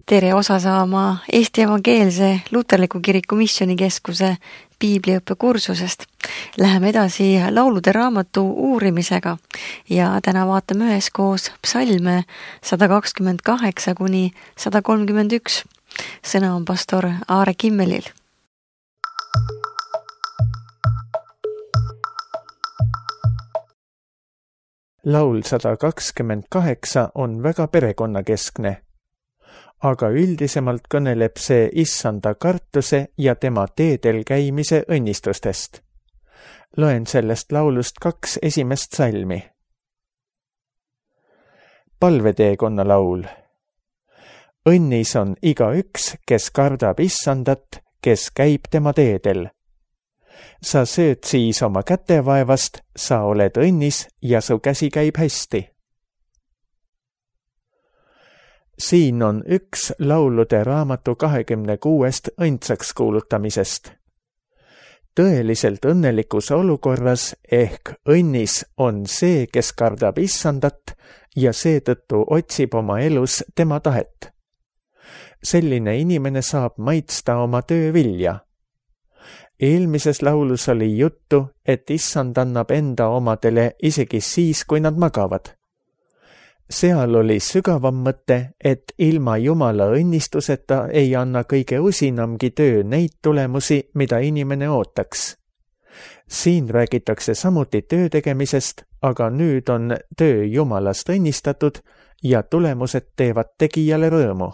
tere osa saama Eesti Evangeelse Luterliku Kiriku Missioonikeskuse piibliõppekursusest. Läheme edasi laulude raamatu uurimisega ja täna vaatame üheskoos psalme 128 kuni 131. Sõna on pastor Aare Kimmelil. Laul 128 on väga perekonnakeskne, aga üldisemalt kõneleb see issanda kartuse ja tema teedel käimise õnnistustest. Loen sellest laulust 2 esimest salmi. Palveteekonna laul. Õnnis on igaüks, kes kardab issandat, kes käib tema teedel. Sa sööd siis oma kätevaevast, sa oled õnnis ja su käsi käib hästi. Siin on üks laulude raamatu 26 õndsaks kuulutamisest. Tõeliselt õnnelikus olukorras ehk õnnis on see, kes kardab issandat ja seetõttu otsib oma elus tema tahet. Selline inimene saab maitsta oma töö vilja. Eelmises laulus oli juttu, et issand annab enda omadele isegi siis, kui nad magavad. Seal oli sügavam mõte, et ilma Jumala õnnistuseta ei anna kõige usinamgi töö neid tulemusi, mida inimene ootaks. Siin räägitakse samuti töö tegemisest, aga nüüd on töö Jumalast õnnistatud ja tulemused teevad tegijale rõõmu.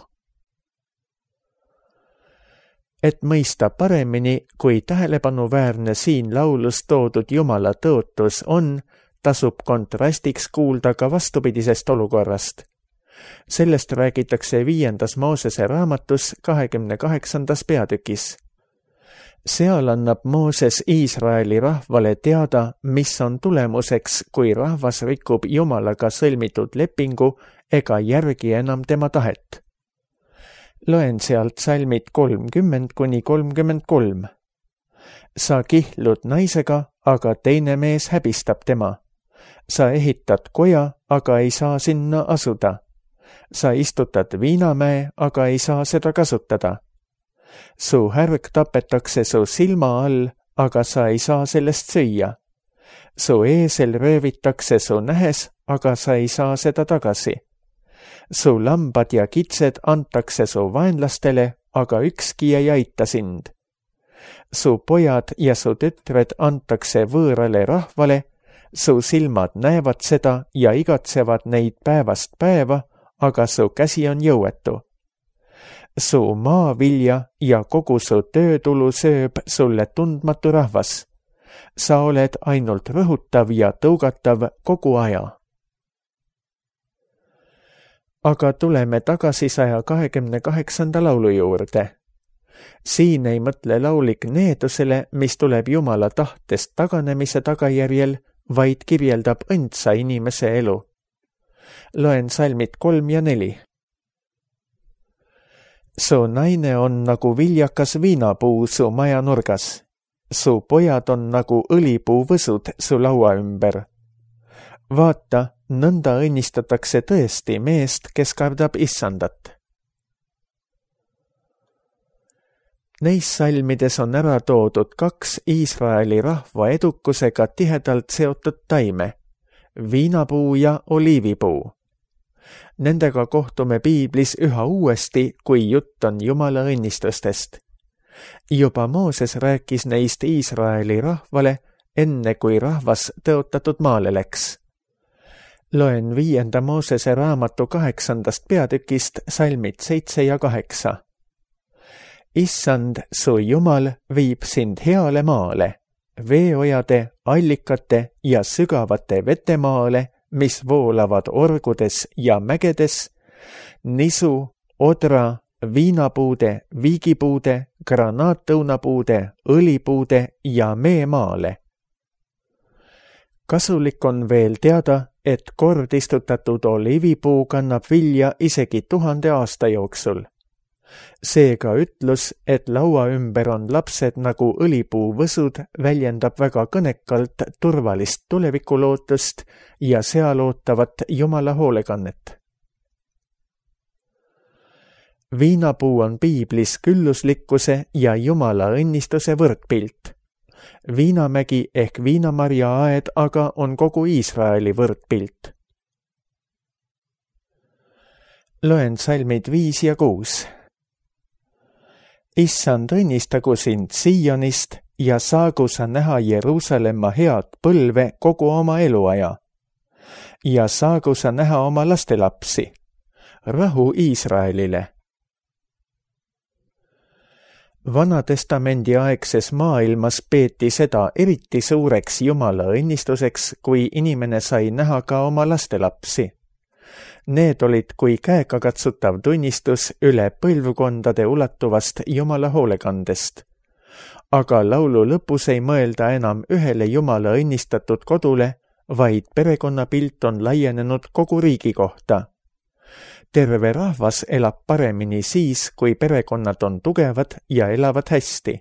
Et mõista paremini, kui tähelepanuväärne siin laulus toodud Jumala tõotus on, tasub kontrastiks kuulda ka vastupidisest olukorrast. Sellest räägitakse 5. Moosese raamatus 28. peatükis. Seal annab Mooses Iisraeli rahvale teada, mis on tulemuseks, kui rahvas rikub Jumalaga sõlmitud lepingu ega järgi enam tema tahet. Loen sealt salmid 30 kuni 33. Sa kihlud naisega, aga teine mees häbistab tema. Sa ehitad koja, aga ei saa sinna asuda. Sa istutad viinamäe, aga ei saa seda kasutada. Su härg tapetakse su silma all, aga sa ei saa sellest süüa. Su eesel röövitakse su nähes, aga sa ei saa seda tagasi. Su lambad ja kitsed antakse su vaenlastele, aga ükski ei aita sind. Su pojad ja su tütred antakse võõrale rahvale, su silmad näevad seda ja igatsevad neid päevast päeva, aga su käsi on jõuetu. Su maavilja ja kogu su töötulu sööb sulle tundmatu rahvas. Sa oled ainult rõhutav ja tõugatav kogu aja. Aga tuleme tagasi 128. laulu juurde. Siin ei mõtle laulik needusele, mis tuleb Jumala tahtest taganemise tagajärjel, vaid kirjeldab õndsa inimese elu. Loen salmid 3 ja 4. Su naine on nagu viljakas viinapuu su maja nurgas. Su pojad on nagu õlipuu võsud su laua ümber. Vaata, nõnda õnnistatakse tõesti meest, kes kardab issandat. Neis salmides on ära toodud 2 Iisraeli rahva edukusega tihedalt seotud taime, viinapuu ja oliivipuu. Nendega kohtume piiblis üha uuesti, kui jutt on Jumala õnnistustest. Juba Mooses rääkis neist Iisraeli rahvale, enne kui rahvas tõotatud maale läks. Loen 5. Moosese raamatu 8. peatükist salmid 7 ja 8. Issand, su Jumal viib sind heale maale, veeojade, allikate ja sügavate vetemaale, mis voolavad orgudes ja mägedes, nisu, odra, viinapuude, viigipuude, granaattõunapuude, õlipuude ja meemaale. Kasulik on veel teada, et kord istutatud oliivipuu kannab vilja isegi 1000 aasta jooksul. Seega ütlus, et laua ümber on lapsed nagu õlipuu võsud, väljendab väga kõnekalt turvalist tulevikulootust ja seal ootavat Jumala hoolekannet. Viinapuu on piiblis külluslikkuse ja Jumala õnnistuse võrdpilt. Viinamägi ehk viinamarja aed aga on kogu Iisraeli võrdpilt. Loen salmid 5 ja 6. Issand, õnnistagu sind Siionist ja saagu sa näha Jeruusalemma head põlve kogu oma eluaja. Ja saagu sa näha oma lastelapsi. Rahu Iisraelile. Vanatestamendi aegses maailmas peeti seda eriti suureks Jumala õnnistuseks, kui inimene sai näha ka oma lastelapsi. Need olid kui käegakatsutav tunnistus üle põlvkondade ulatuvast Jumala hoolekandest. Aga laulu lõpus ei mõelda enam ühele Jumala õnnistatud kodule, vaid perekonnapilt on laienenud kogu riigi kohta. Terve rahvas elab paremini siis, kui perekonnad on tugevad ja elavad hästi.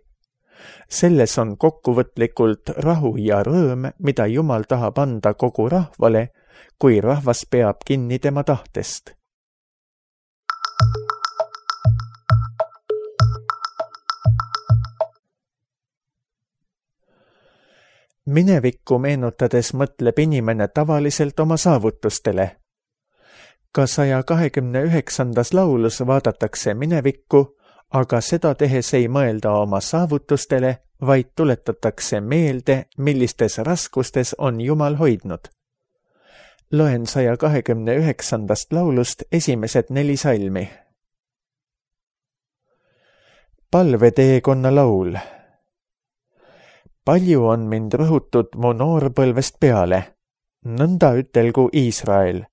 Selles on kokkuvõtlikult rahu ja rõõm, mida Jumal tahab anda kogu rahvale, kui rahvas peab kinni tema tahtest. Minevikku meenutades mõtleb inimene tavaliselt oma saavutustele. Ka 129. laulus vaadatakse minevikku, aga seda tehes ei mõelda oma saavutustele, vaid tuletatakse meelde, millistes raskustes on Jumal hoidnud. Loen 129. laulust esimesed 4 salmi. Palveteekonna laul. Palju on mind rõhutud mu noorpõlvest peale, nõnda ütelgu Iisrael.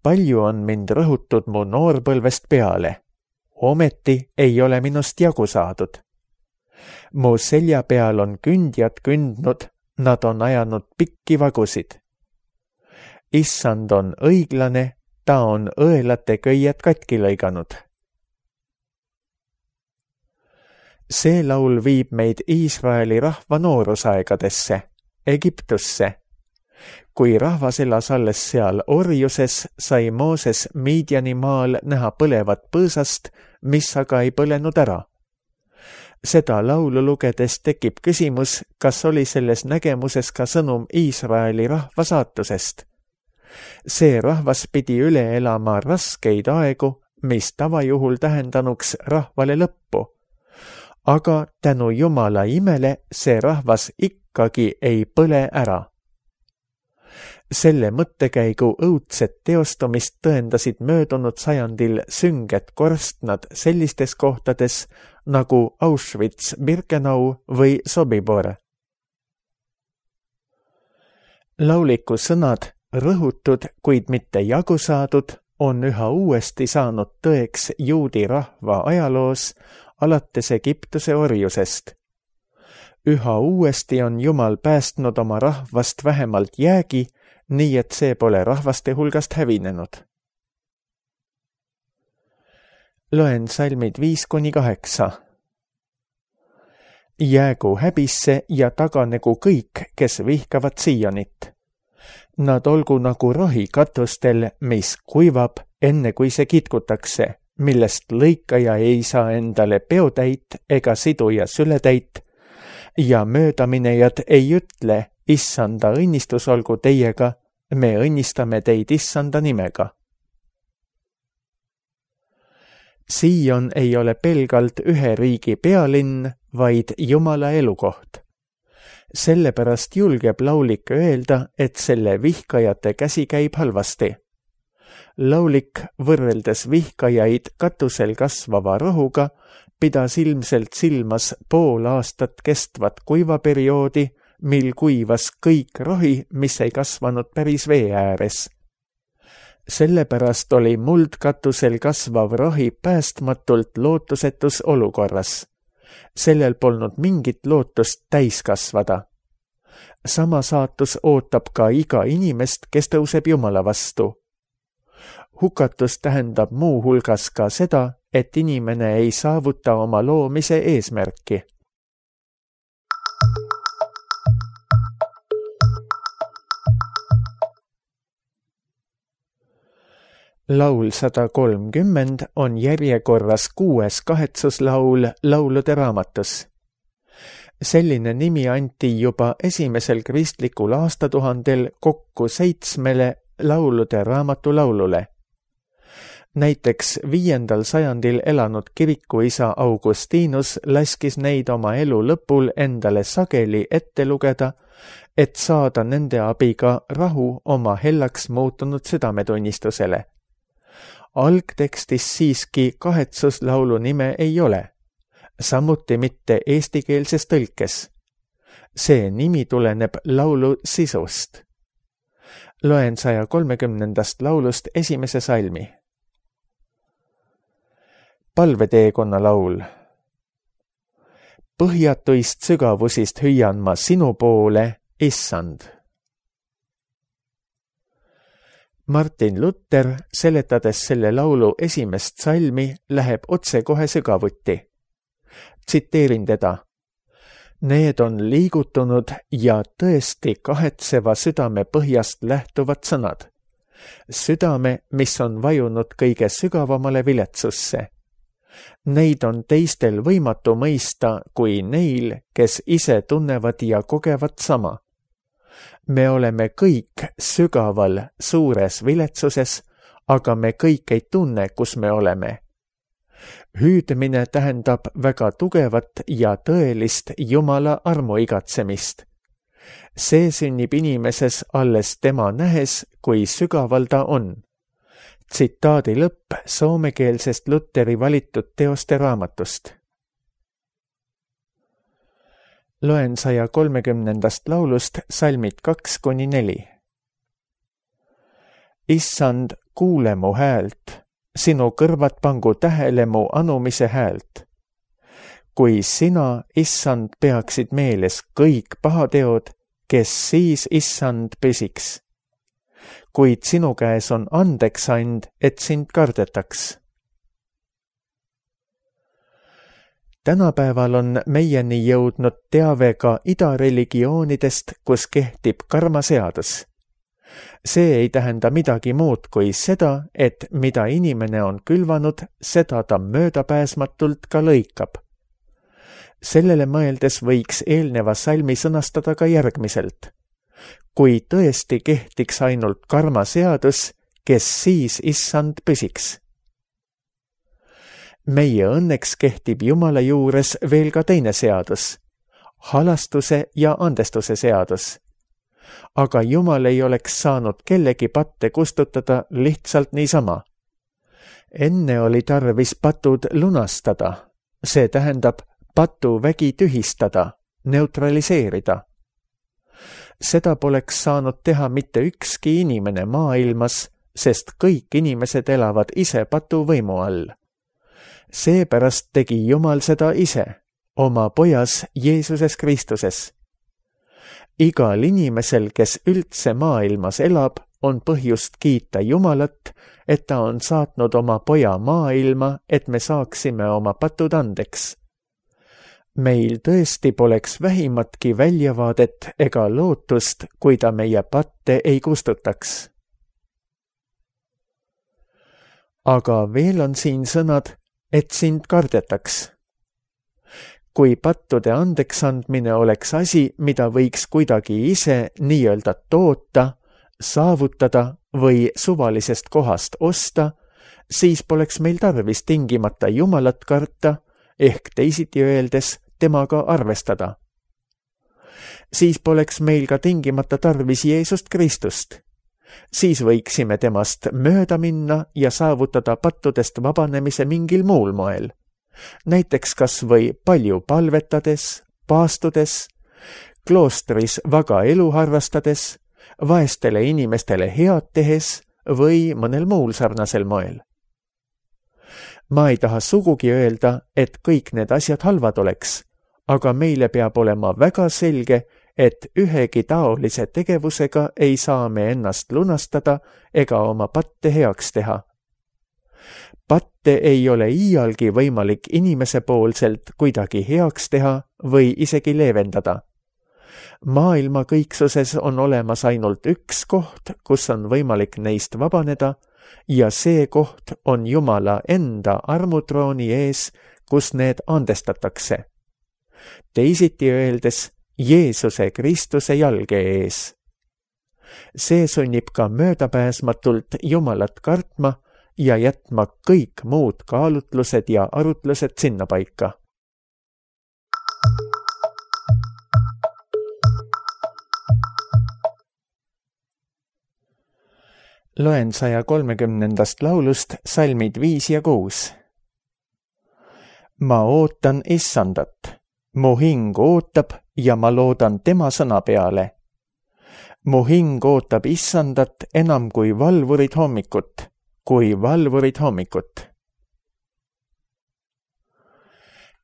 Palju on mind rõhutud mu noorpõlvest peale, ometi ei ole minust jagu saadud. Mu selja peal on kündjad kündnud, nad on ajanud pikki vagusid. Issand on õiglane, ta on õelate köied katki lõiganud. See laul viib meid Iisraeli rahva noorusaegadesse, Egiptusse. Kui rahvas elas alles seal orjuses, sai Mooses Midiani maal näha põlevat põõsast, mis aga ei põlenud ära. Seda laulu lugedes tekib küsimus, kas oli selles nägemuses ka sõnum Iisraeli rahva saatusest. See rahvas pidi üle elama raskeid aegu, mis tavajuhul tähendanuks rahvale lõppu. Aga tänu Jumala imele see rahvas ikkagi ei põle ära. Selle mõttekäigu õudset teostumist tõendasid möödunud sajandil sünged korstnad sellistes kohtades nagu Auschwitz, Birkenau või Sobibor. Lauliku sõnad, rõhutud, kuid mitte jagu saadud, on üha uuesti saanud tõeks juudi rahva ajaloos alates Egiptuse orjusest. Üha uuesti on Jumal päästnud oma rahvast vähemalt jäägi, nii et see pole rahvaste hulgast hävinenud. Loen salmid 5-8. Jäägu häbisse ja taganegu kõik, kes vihkavad Sionit. Nad olgu nagu rohi katustel, mis kuivab, enne kui see kitkutakse, millest lõikaja ei saa endale peotäit ega siduja sületäit, ja möödaminejad ei ütle, Issanda õnnistus olgu teiega, me õnnistame teid Issanda nimega. Sion ei ole pelgalt ühe riigi pealinn, vaid Jumala elukoht. Sellepärast julgeb laulik öelda, et selle vihkajate käsi käib halvasti. Laulik, võrreldes vihkajaid katusel kasvava rohuga, pidas ilmselt silmas pool aastat kestvat kuivaperioodi, mil kuivas kõik rohi, mis ei kasvanud päris vee ääres. Sellepärast oli muldkatusel kasvav rohi päästmatult lootusetus olukorras. Sellel polnud mingit lootust täis kasvada. Sama saatus ootab ka iga inimest, kes tõuseb Jumala vastu. Hukatus tähendab muu hulgas ka seda, et inimene ei saavuta oma loomise eesmärki. Laul 130 on järjekorras 6. kahetsuslaul laulude raamatus. Selline nimi anti juba esimesel kristlikul aastatuhandel kokku 7 laulude raamatu laulule. Näiteks 5. sajandil elanud kirikuisa Augustinus laskis neid oma elu lõpul endale sageli ette lugeda, et saada nende abiga rahu oma hellaks muutunud südametunnistusele. Algtekstis siiski kahetsuslaulu nime ei ole, samuti mitte eestikeelses tõlkes. See nimi tuleneb laulu sisust. Loen 130. laulust esimese salmi. Palveteekonna laul. Põhjatuist sügavusist hüüan ma sinu poole, Issand. Martin Luther, seletades selle laulu esimest salmi, läheb otsekohe sügavuti. Tsiteerin teda. Need on liigutunud ja tõesti kahetseva südame põhjast lähtuvad sõnad. Südame, mis on vajunud kõige sügavamale viletsusse. Neid on teistel võimatu mõista kui neil, kes ise tunnevad ja kogevad sama. Me oleme kõik sügaval suures viletsuses, aga me kõik ei tunne, kus me oleme. Hüüdmine tähendab väga tugevat ja tõelist Jumala armuigatsemist. See sünnib inimeses alles tema nähes, kui sügaval ta on. Tsitaadi lõpp soomekeelsest Lutheri valitud teoste raamatust. Loen 130. laulust salmid 2-4. Issand, kuule mu häält, sinu kõrvad pangu tähele mu anumise häält. Kui sina, Issand, peaksid meeles kõik pahateod, kes siis, Issand, püsiks. Kuid sinu käes on andeks and, et sind kardetaks. Tänapäeval on meieni jõudnud teave ka idareligioonidest, kus kehtib karmaseadus. See ei tähenda midagi muud kui seda, et mida inimene on külvanud, seda ta möödapääsmatult ka lõikab. Sellele mõeldes võiks eelneva salmi sõnastada ka järgmiselt. Kui tõesti kehtiks ainult karmaseadus, kes siis, Issand, püsiks? Meie õnneks kehtib Jumala juures veel ka teine seadus, halastuse ja andestuse seadus. Aga Jumal ei oleks saanud kellegi patte kustutada lihtsalt niisama. Enne oli tarvis patud lunastada, see tähendab patuvägi tühistada, neutraliseerida. Seda poleks saanud teha mitte ükski inimene maailmas, sest kõik inimesed elavad ise patuvõimu all. Seepärast tegi Jumal seda ise, oma pojas Jeesuses Kristuses. Igal inimesel, kes üldse maailmas elab, on põhjust kiita Jumalat, et ta on saatnud oma poja maailma, et me saaksime oma patud andeks. Meil tõesti poleks vähimatki väljavaadet ega lootust, kui ta meie patte ei kustutaks. Aga veel on siin sõnad, et sind kardetaks. Kui pattude andeksandmine oleks asi, mida võiks kuidagi ise nii-öelda toota, saavutada või suvalisest kohast osta, siis poleks meil tarvis tingimata Jumalat karta, ehk teisiti öeldes temaga arvestada. Siis poleks meil ka tingimata tarvis Jeesust Kristust. Siis võiksime temast mööda minna ja saavutada pattudest vabanemise mingil muul moel. Näiteks kas või palju palvetades, paastudes, kloostris vaga elu harrastades, vaestele inimestele head tehes või mõnel muul sarnasel moel. Ma ei taha sugugi öelda, et kõik need asjad halvad oleks, aga meile peab olema väga selge, et ühegi taolise tegevusega ei saa me ennast lunastada ega oma patte heaks teha. Patte ei ole iialgi võimalik inimese poolselt kuidagi heaks teha või isegi leevendada. Maailma kõiksuses on olemas ainult üks koht, kus on võimalik neist vabaneda, ja see koht on Jumala enda armutrooni ees, kus need andestatakse. Teisiti öeldes Jeesuse Kristuse jalge ees. See sunnib ka möödapääsmatult Jumalat kartma ja jätma kõik muud kaalutlused ja arutlused sinnapaika. Loen 130. laulust salmid 5 ja 6. Ma ootan Issandat, mu hing ootab ja ma loodan tema sõna peale. Mu hing ootab Issandat enam kui valvurid hommikut,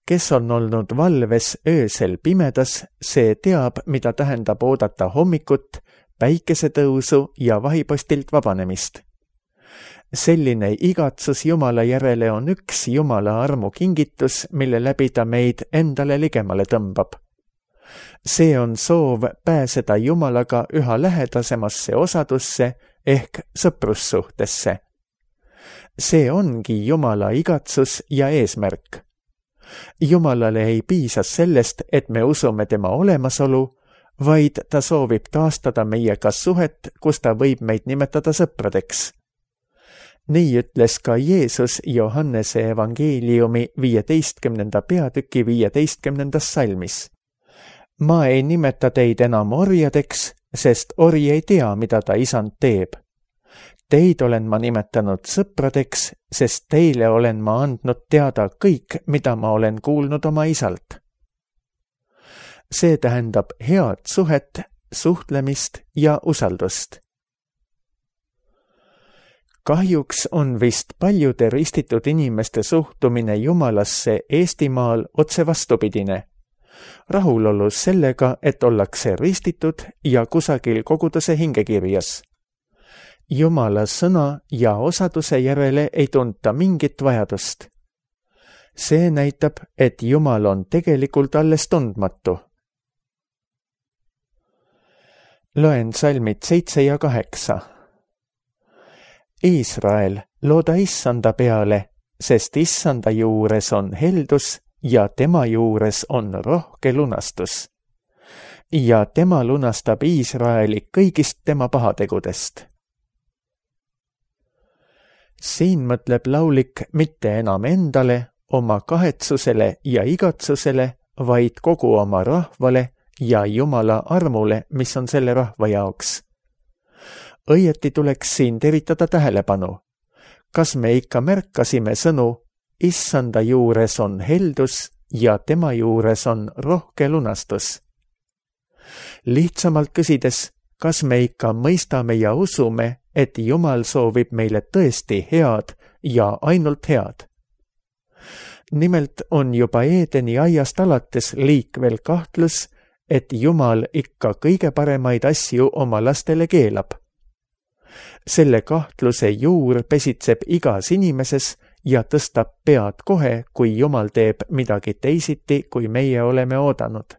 Kes on olnud valves öösel pimedas, see teab, mida tähendab oodata hommikut, päikesetõusu ja vahipostilt vabanemist. Selline igatsus Jumala järele on üks Jumala armu kingitus, mille läbi ta meid endale ligemale tõmbab. See on soov pääseda Jumalaga üha lähedasemasse osadusse ehk sõprussuhtesse. See ongi Jumala igatsus ja eesmärk. Jumalale ei piisa sellest, et me usume tema olemasolu, vaid ta soovib taastada meiega suhet, kus ta võib meid nimetada sõpradeks. Nii ütles ka Jeesus Johannese evangeeliumi 15. peatüki 15. salmis. Ma ei nimeta teid enam orjadeks, sest ori ei tea, mida ta isand teeb. Teid olen ma nimetanud sõpradeks, sest teile olen ma andnud teada kõik, mida ma olen kuulnud oma isalt. See tähendab head suhet, suhtlemist ja usaldust. Kahjuks on vist paljude ristitud inimeste suhtumine Jumalasse Eestimaal otse vastupidine. Rahulolus sellega, et ollakse ristitud ja kusagil koguduse hingekirjas. Jumala sõna ja osaduse järele ei tunta mingit vajadust. See näitab, et Jumal on tegelikult alles tundmatu. Loen salmid 7 ja 8. Iisrael, looda Issanda peale, sest Issanda juures on heldus ja tema juures on rohke lunastus. Ja tema lunastab Iisraeli kõigist tema pahategudest. Siin mõtleb laulik mitte enam endale, oma kahetsusele ja igatsusele, vaid kogu oma rahvale ja Jumala armule, mis on selle rahva jaoks. Õieti tuleks siin teritada tähelepanu. Kas me ikka märkasime sõnu, Issanda juures on heldus ja tema juures on rohke lunastus? Lihtsamalt küsides, kas me ikka mõistame ja usume, et Jumal soovib meile tõesti head ja ainult head? Nimelt on juba Eedeni aiast alates liikvel kahtlus, et Jumal ikka kõige paremaid asju oma lastele keelab. Selle kahtluse juur pesitseb igas inimeses ja tõstab pead kohe, kui Jumal teeb midagi teisiti, kui meie oleme oodanud.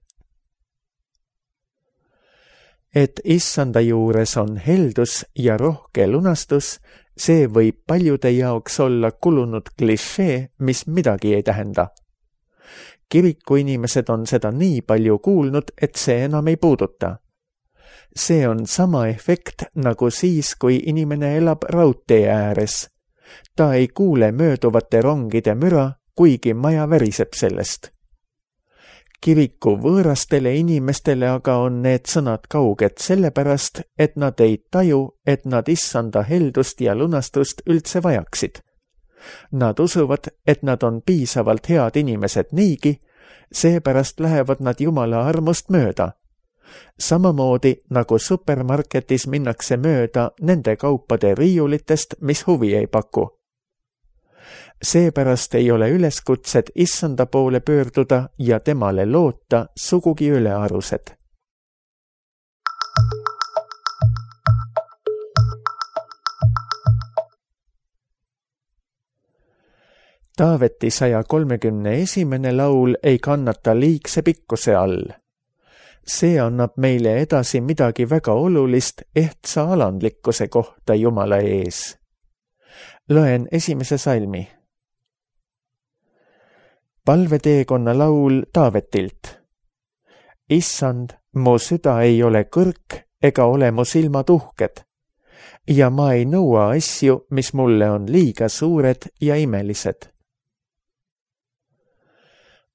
Et Issanda juures on heldus ja rohke lunastus, see võib paljude jaoks olla kulunud klišee, mis midagi ei tähenda. Kiriku inimesed on seda nii palju kuulnud, et see enam ei puuduta. See on sama efekt nagu siis, kui inimene elab raudtee ääres. Ta ei kuule mööduvate rongide müra, kuigi maja väriseb sellest. Kiriku võõrastele inimestele aga on need sõnad kauged sellepärast, et nad ei taju, et nad Issanda heldust ja lunastust üldse vajaksid. Nad usuvad, et nad on piisavalt head inimesed niigi, seepärast lähevad nad Jumala armust mööda. Samamoodi nagu supermarketis minnakse mööda nende kaupade riiulitest, mis huvi ei paku. Seepärast ei ole üleskutsed Issanda poole pöörduda ja temale loota sugugi ülearused. Taaveti 131. laul ei kannata liigse pikkuse all. See annab meile edasi midagi väga olulist ehtsa alandlikkuse kohta Jumala ees. Loen 1. salmi. Palveteekonna laul Taavetilt. Issand, mu süda ei ole kõrk ega ole mu silmad uhked ja ma ei nõua asju, mis mulle on liiga suured ja imelised.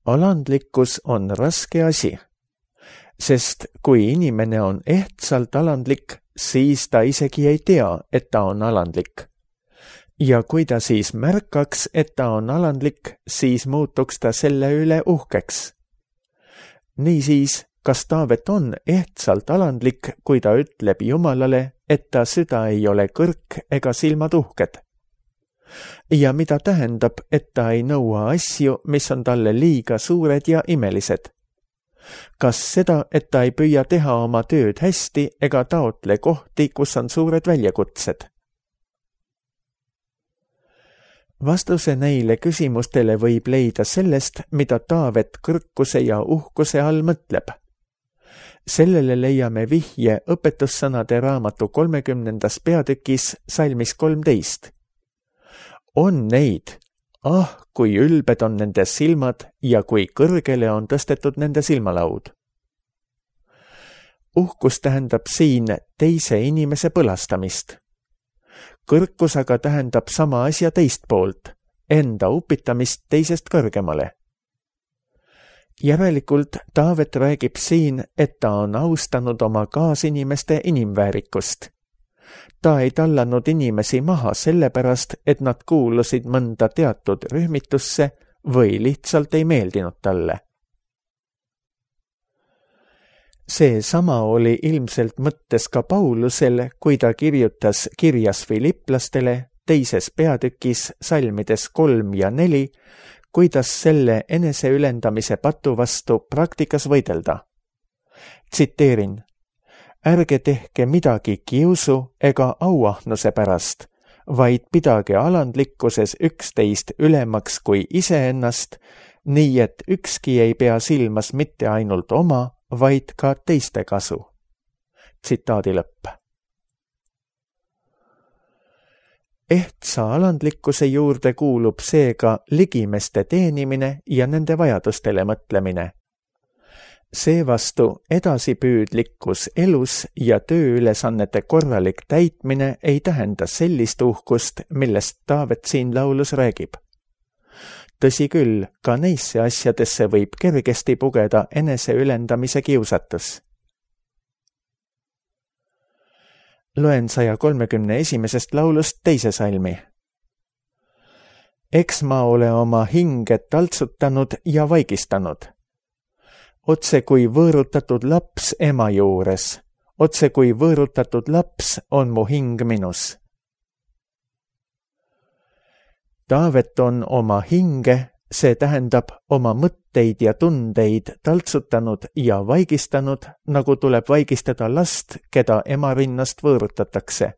Alandlikkus on raske asi, sest kui inimene on ehtsalt alandlik, siis ta isegi ei tea, et ta on alandlik. Ja kui ta siis märkaks, et ta on alandlik, siis muutuks ta selle üle uhkeks. Niisiis, kas Taavet on ehtsalt alandlik, kui ta ütleb Jumalale, et ta süda ei ole kõrk ega silmad uhked? Ja mida tähendab, et ta ei nõua asju, mis on talle liiga suured ja imelised? Kas seda, et ta ei püüa teha oma tööd hästi ega taotle kohti, kus on suured väljakutsed? Vastuse neile küsimustele võib leida sellest, mida Taavet kõrkuse ja uhkuse all mõtleb. Sellele leiame vihje õpetussõnade raamatu 30. peatükis salmis 13. On neid, kui ülbed on nende silmad ja kui kõrgele on tõstetud nende silmalaud. Uhkus tähendab siin teise inimese põlastamist. Kõrkus aga tähendab sama asja teist poolt, enda upitamist teisest kõrgemale. Järelikult Taavet räägib siin, et ta on austanud oma kaasinimeste inimväärikust. Ta ei tallanud inimesi maha sellepärast, et nad kuulusid mõnda teatud rühmitusse või lihtsalt ei meeldinud talle. See sama oli ilmselt mõttes ka Paulusel, kui ta kirjutas kirjas Filipplastele 2. peatükis salmides 3 ja 4, kuidas selle eneseülendamise patu vastu praktikas võidelda. Tsiteerin: ärge tehke midagi kiusu ega auahnuse pärast, vaid pidage alandlikkuses üksteist ülemaks kui iseennast, nii et ükski ei pea silmas mitte ainult oma, vaid ka teiste kasu. Tsitaadi lõpp. Ehtsa alandlikkuse juurde kuulub seega ligimeste teenimine ja nende vajadustele mõtlemine. Seevastu edasipüüdlikkus elus ja tööülesannete korralik täitmine ei tähenda sellist uhkust, millest Taavet siin laulus räägib. Tõsi küll, ka neisse asjadesse võib kergesti pugeda eneseülendamise kiusatus. Loen 131. laulust 2. salmi. Eks ma ole oma hinge taltsutanud ja vaigistanud. Otse kui võõrutatud laps ema juures, otse kui võõrutatud laps on mu hing minus. Taavet on oma hinge, see tähendab oma mõtteid ja tundeid taltsutanud ja vaigistanud, nagu tuleb vaigistada last, keda ema rinnast võõrutatakse.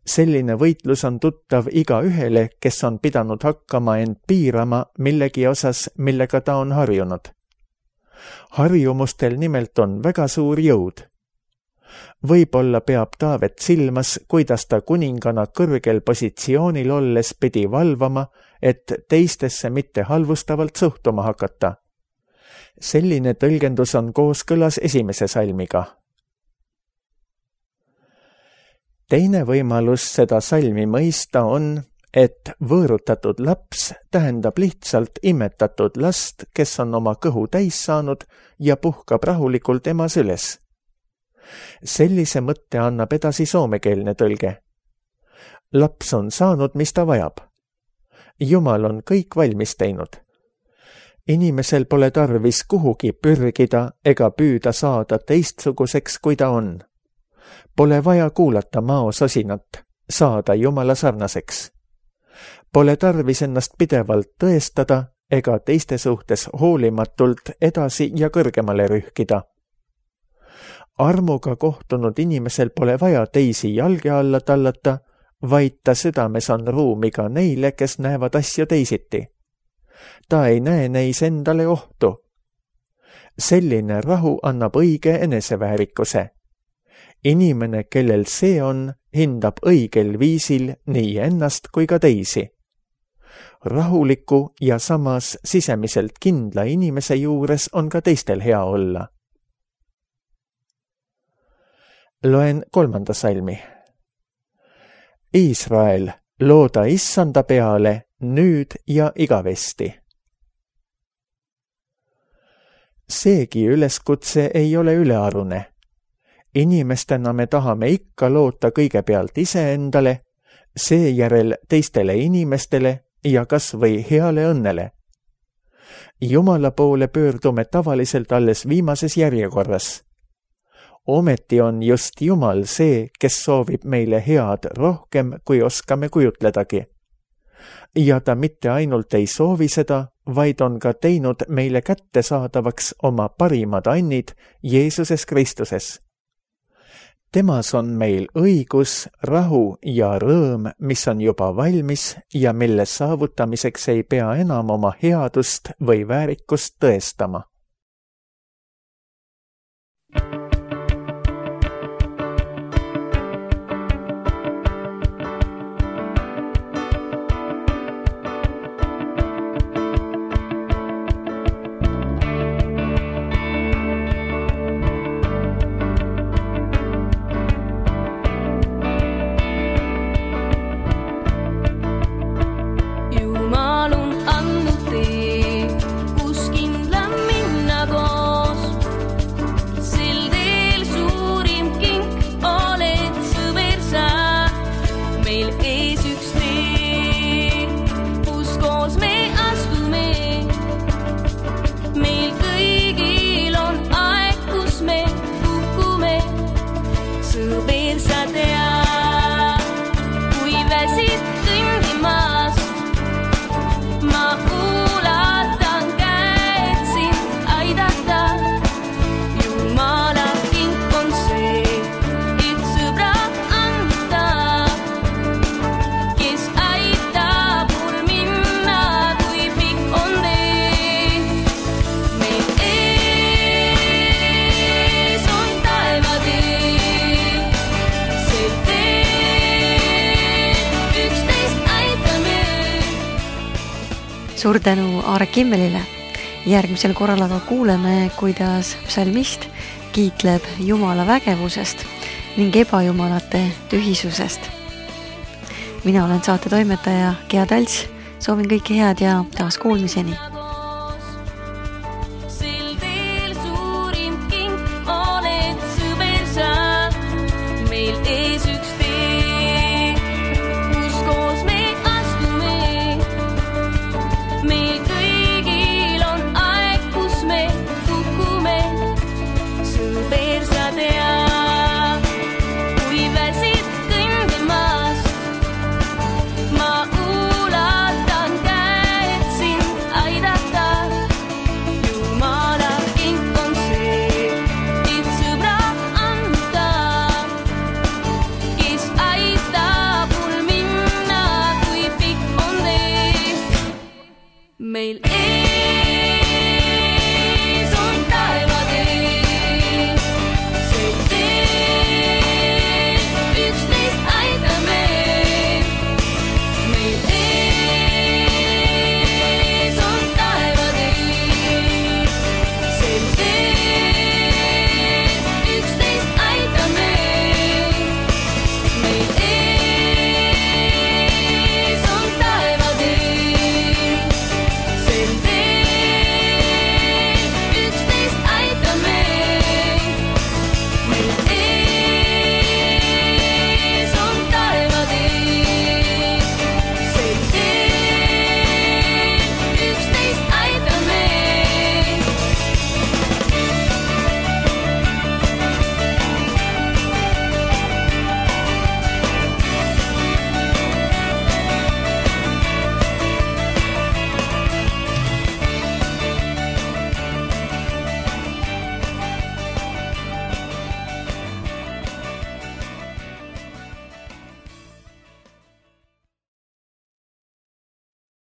Selline võitlus on tuttav igaühele, kes on pidanud hakkama end piirama millegi osas, millega ta on harjunud. Harjumustel nimelt on väga suur jõud. Võib-olla peab Taavet silmas, kuidas ta kuningana kõrgel positsioonil olles pidi valvama, et teistesse mitte halvustavalt suhtuma hakata. Selline tõlgendus on kooskõlas 1. salmiga. Teine võimalus seda salmi mõista on, et võõrutatud laps tähendab lihtsalt imetatud last, kes on oma kõhu täis saanud ja puhkab rahulikult ema süles. Sellise mõtte annab edasi soomekeelne tõlge. Laps on saanud, mis ta vajab. Jumal on kõik valmis teinud. Inimesel pole tarvis kuhugi pürgida ega püüda saada teistsuguseks, kui ta on. Pole vaja kuulata maososinat, saada Jumala sarnaseks. Pole tarvis ennast pidevalt tõestada ega teiste suhtes hoolimatult edasi ja kõrgemale rühkida. Armuga kohtunud inimesel pole vaja teisi jalge alla tallata, vaid ta südames on ruumi ka neile, kes näevad asju teisiti. Ta ei näe neis endale ohtu. Selline rahu annab õige eneseväärikuse. Inimene, kellel see on, hindab õigel viisil nii ennast kui ka teisi. Rahuliku ja samas sisemiselt kindla inimese juures on ka teistel hea olla. Loen 3. salmi. Iisrael, looda Issanda peale nüüd ja igavesti. Seegi üleskutse ei ole ülearune. Inimestena me tahame ikka loota kõigepealt iseendale, seejärel teistele inimestele ja kas või heale õnnele. Jumala poole pöördume tavaliselt alles viimases järjekorras. Ometi on just Jumal see, kes soovib meile head rohkem, kui oskame kujutledagi. Ja ta mitte ainult ei soovi seda, vaid on ka teinud meile kättesaadavaks oma parimad annid Jeesuses Kristuses. Temas on meil õigus, rahu ja rõõm, mis on juba valmis ja mille saavutamiseks ei pea enam oma headust või väärikust tõestama. Suur tänu Aare Kimmelile. Järgmisel korral aga kuuleme, kuidas psalmist kiitleb Jumala vägevusest ning ebajumalate tühisusest. Mina olen saate toimetaja Gea Talts. Soovin kõike head ja taas kuulmiseni. Till